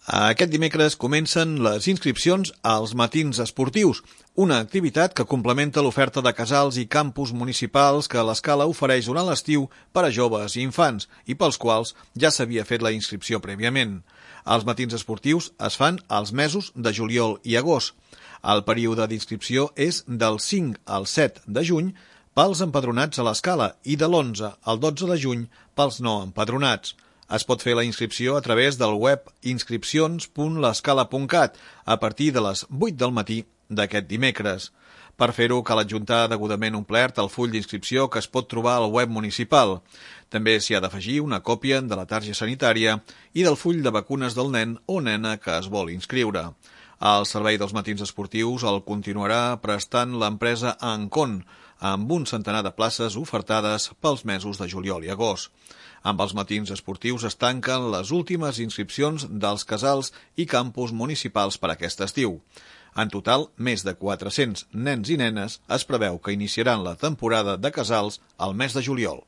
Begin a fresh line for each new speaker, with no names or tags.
Aquest dimecres comencen les inscripcions als matins esportius, una activitat que complementa l'oferta de casals i campus municipals que l'Escala ofereix durant l'estiu per a joves i infants i pels quals ja s'havia fet la inscripció prèviament. Els matins esportius es fan als mesos de juliol i agost. El període d'inscripció és del 5 al 7 de juny pels empadronats a l'Escala i de l'11 al 12 de juny pels no empadronats. Es pot fer la inscripció a través del web inscripcions.lescala.cat a partir de les 8 del matí d'aquest dimecres. Per fer-ho cal adjuntar degudament omplert el full d'inscripció que es pot trobar al web municipal. També s'hi ha d'afegir una còpia de la targeta sanitària i del full de vacunes del nen o nena que es vol inscriure. El servei dels matins esportius el continuarà prestant l'empresa Ancon, amb un centenar de places ofertades pels mesos de juliol i agost. Amb els matins esportius es tanquen les últimes inscripcions dels casals i campus municipals per aquest estiu. En total, més de 400 nens i nenes es preveu que iniciaran la temporada de casals al mes de juliol.